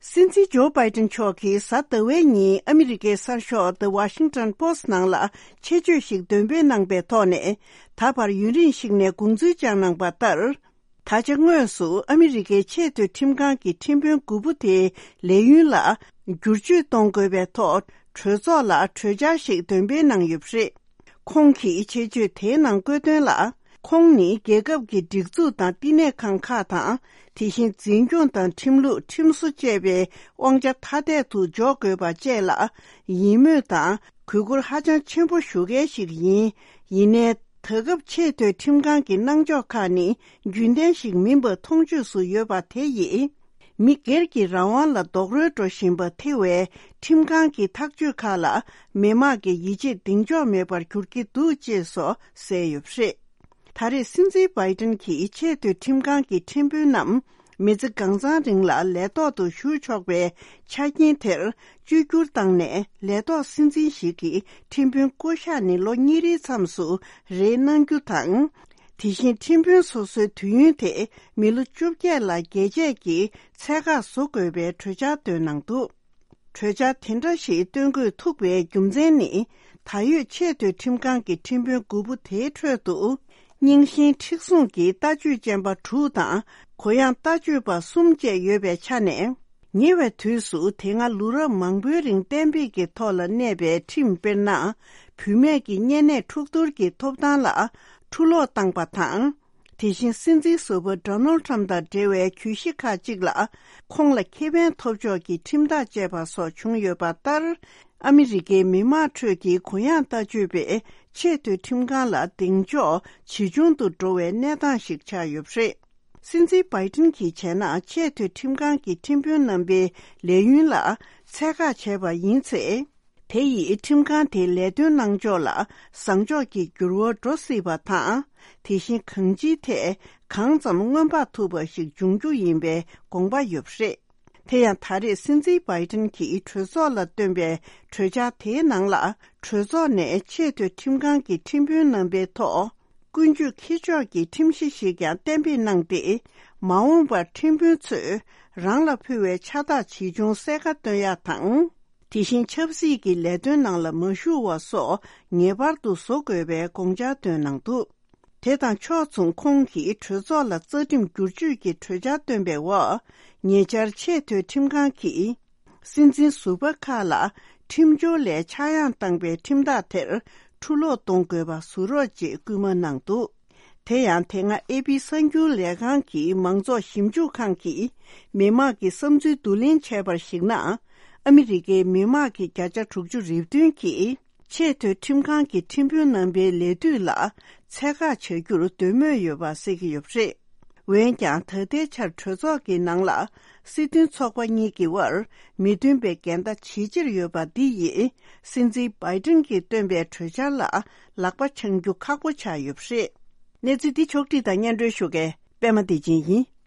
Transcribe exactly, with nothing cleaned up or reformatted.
སྲིད་འཛིན་ཇོ་བྷའི་ཏན་མཆོག་གིས་གཟའ་ཟླ་བའི་ཉིན་ཨ་མི་རི་ཀའི་གསར་ཤོག་The Washington Post ནང་ལ་ཆེད་བརྗོད་ཞིག་འདོན་སྤེལ་གནང་པའི་ཐོག་ནས། ད་བར་ཡུན་རིང་ཞིག་ནས་དགོངས་ཚུལ་བཅངས་གནང་པ་ལྟར། ད་ཆ་དངོས་སུ་ཨ་མི་རི་ཀའི་ཆེས་མཐོའི་ཁྲིམས་ཁང་གི་ཁྲིམས་དཔོན་དགུ་པོ་དེའི་ལས་ཡུན་ལ་བསྒྱུར་བཅོས་གཏོང་དགོས་པའི་ཐོག་གྲོས་ཚོགས་ལ་གྲོས་འཆར་ཞིག་འདོན་སྤེལ་གནང་ཡོད་པ་རེད། ཁོང་གིས་ཆེད་བརྗོད་དེའི་ནང་བཀོད་དོན་ལ། ཁོང་ནི་རྒྱལ་ཁབ་ཀྱི་སྒྲིག་འཛུགས་དང་བསྟི་གནས་ཁང་ཁག་དང་། དེ་བཞིན་འཛིན་སྐྱོང་དང་ཁྲིམས་ལུགས། ཁྲིམས་བཟོ་བཅས་པའི་དབང་ཆ་ཐ་དད་དུ་འཇོག་དགོས་པ་བཅས་ལ་ཡིད་སྨོན་དང་གུས་བཀུར་ཧ་ཅང་ཆེན་པོ་ཞུ་མཁན་ཞིག་ཡིན། ཡིན་ནའི། ད་སྐབས་ཆེས་མཐོའི་ཁྲིམས་ཁང་གི་གནང་ཕྱོགས་ཁག་ནི་རྒྱུན་ལྡན་ཞིག་མིན་པ་མཐོང་ཆོས་སུ་ཡོད་པ་དེ་ཡིས། མི་སྒེར་གྱི་རང་དབང་ལ་རྡོག་རོལ་འགྲོ་བཞིན་པ་ཐེ་བའི་ཁྲིམས་ཁང་གི་ཐག་གཅོད་ཁག་ལ་མི་དམངས་ཀྱི་ཡིད་ཆེས་གདེང་འཇོག་མེད་པར་གྱུར་གྱི་འདུག་ཅེས་སོགས་གསལ་ཡོད་པ་རེད། ད་རེས་སྲིད་འཛིན་བྷའི་ཏན་གྱིས་ཆེས་མཐོའི་ཁྲིམས་ཁང་གི་ཁྲིམས་དཔོན་རྣམས་མི་ཚེ་གང་ཚང་རིང་ལ་ལས་ཐོག་ཏུ་ཞུགས་ཆོག་པའི་ཆ་རྐྱེན་དེར་བཅོས་བསྒྱུར་བཏང་ནས། ལས་ཐོག་སྲིད་འཛིན་ཞིག་གིས་ཁྲིམས་དཔོན་བསྐོ་གཞག་ནི་ལོ་གཉིས་རེའི་མཚམས་སུ་རེ་གནང་རྒྱུ་དང་། དེ་བཞིན་ཁྲིམས་དཔོན་སོ་སོའི་དུས་ཡུན་དེ་མི་ལོ་བཅོ་བརྒྱད་ལ་རྒྱས་བཅད་ཀྱིས་ཚད་བཀག་བཟོ་དགོས་པའི་གྲོས་འཆར་བཏོན་གནང་འདུག་གྲོས་འཆར་དེ་འདྲ་ཞིག་བཏོན་དགོས་ཐུག་པའི་རྒྱུ་མཚན་ནི། ད་ཡོད་ཆེས་མཐོའི་ཁྲིམས་ཁང་གི་ཁྲིམས་དཔོན་དགུ་པོ་དེའི་ཁྲོད་དུ། རྙིང་ཞེན་མཁྲེགས་བཟུང་གི་ལྟ་སྤྱོད་ཅན་པ་དྲུག་དང་། གུ་ཡངས་ལྟ་སྤྱོད་པ་གསུམ་བཅས་ཡོད་པའི་ཆ་ནས། ཉེ་བའི་དུས་སུ་དེ་སྔ་ལོ་རབས་མང་པོའི་རིང་གཏན་འབེབས་ཀྱི་ཐོག་ལ་གནས་པའི་ཁྲིམས། དཔེར་ན། བུད་མེད་ཀྱི་གཉན་ནད་འཁྲུག་གཏོར་གྱི་ཐོབ་ཐང་ལ་འཁྲུ་སློག་བཏང་པ་དང་། དེ་བཞིན་སྲིད་འཛིན་ཟུར་པ་ཌོ་ནལ་ཊམ་དང་འབྲེལ་བའི་གྱོད་གཞི་ཁག་ཅིག་ལ་ཁོང་ལ་ཁེ་ཕན་ཐོབ་ཕྱོགས་ཀྱི་ཁྲིམས་ཐག་བཅད་པ་སོགས་བྱུང་ཡོད་པ་ལྟར། ཨ་མི་རི་ཀའི་མི་དམངས་ཁྲོད་ཀྱི་གུ་ཡངས་ལྟ་སྤྱོད་པས་ཆེས་མཐོའི་ཁྲིམས་ཁང་ལ་གདེང་འཇོག་ཇེ་ཆུང་དུ་འགྲོ་བའི་གནས་སྟངས་ཤིག་ཆགས་ཡོད་པ་རེད། སྲིད་འཛིན་བྷའི་ཏིན་གྱིས་བྱས་ན། ཆེས་མཐོའི་ཁྲིམས་ཁང་གི་ཁྲིམས་དཔོན་རྣམ་པའི་ལས་ཡུན་ལ་ཚད་བཀག་བྱས་པ་ཡིན་ཚེ། དེ་ཡིས་ཁྲིམས་ཁང་དེའི་ལས་དོན་གནང་ཕྱོགས་ལ་བཟང་ཕྱོགས་ཀྱི་འགྱུར་བ་འགྲོ་སྲིད་པ་དང་། དེ་བཞིན་གང་ཅིའི་ཐད་གང་ཙམ་སྔོན་དཔག་ཐུབ་པ་ཞིག་འབྱུང་རྒྱུ་ཡིན་པའི་དགོངས་པ་ཡོད་པ་རེད། དེ་ཡང་ད་རེས་སྲིད་འཛིན་བྷའི་ཏིན་གྱིས་གྲོས་ཚོགས་ལ་བཏོན་པའི་གྲོས་འཆར་དེའི་ནང་ལ། གྲོས་ཚོགས་ནས་ཆེས་མཐོའི་ཁྲིམས་ཁང་གི་ཁྲིམས་དཔོན་རྣམ་པའི་ཐོག་ཀུན་སྤྱོད་འཁྱེར་ཕྱོགས་ཀྱི་ཁྲིམས་གཞི་ཞིག་ཀྱང་གཏན་འབེབས་གནང་སྟེ། མ་འོངས་པར་ཁྲིམས་དཔོན་ཚོས་རང་ལ་ཕུལ་བའི་ཕྱག་རྟགས་ཇི་བྱུང་གསལ་ཁ་སྟོན་ཡག་དང་། དེ་བཞིན་ཆབ་སྲིད་ཀྱི་ལས་དོན་ནང་ལ་མ་ཞུགས་པ་སོགས་ངེས་པར་དུ་བཟོ་དགོས་པའི་དགོངས་འཆར་བཏོན་གནང་འདུག་དེ་དང་ཕྱོགས་མཚུངས། ཁོང་གིས་གྲོས་ཚོགས་ལ་རྩ་ཁྲིམས་བསྒྱུར་བཅོས་ཀྱི་གྲོས་འཆར་བཏོན་པའི་འོག་ཉེ་ཆར་ཆེས་མཐོའི་ཁྲིམས་ཁང་གིས། སྲིད་འཛིན་ཟུར་པ་ཁག་ལ་ཁྲིམས་སྦྱོར་ལས་ཆག་ཡང་བཏང་པའི་ཁྲིམས་ཐག་དེར་འཁྲུ་སློག་གཏོང་དགོས་པ་བཟོ་རོགས་ཅེས་སྐུལ་མ་གནང་འདུག་དེ་ཡང་དེ་སྔ་ཨེ་པི་གསར་འགྱུར་ལས་ཁང་གི་མང་ཚོགས་ཞིབ་འཇུག་ཁང་གིས་མི་དམངས་ཀྱི་བསམ་ཚུལ་བསྡུ་ལེན་བྱས་པར་གཞིགས་ན། ཨ་མི་རི་ཀའི་མི་དམངས་ཀྱི་བརྒྱ་ཆ་དྲུག་ཅུ་རེ་བདུན་གྱིས་ཆེས་མཐོའི་ཁྲིམས་ཁང་གི་ཁྲིམས་དཔོན་རྣམ་པའི་ལས་དུས་ལ་ཚད་བཀག་བྱ་རྒྱུར་འདོད་མོས་ཡོད་པ་གསལ་གྱི་ཡོད་པ་རེད། འོན་ཀྱང་ད་ལྟའི་ཆར་གྲོས་ཚོགས་ཀྱི་ནང་ལ་སྲིད་དོན་ཚོགས་པ་གཉིས་ཀྱི་དབར་མི་མཐུན་པའི་འགལ་ཟླ་ཇེ་ཆེར་ཡོད་པ་འདི་ཡིས་སྲིད་འཛིན་བྷའི་ཏིན་གྱིས་བཏོན་པའི་གྲོས་འཆར་ལ་ལག་པ་འཆང་རྒྱུ་ཁག་པོ་ཆགས་ཡོད་པ་རེད། གནས་ཚུལ་འདི་ཕྱོགས་བསྒྲིགས་དང་སྙན་སྒྲོན་ཞུ་མཁན་པད་མ་བདེ་ཆེན་ཡིན།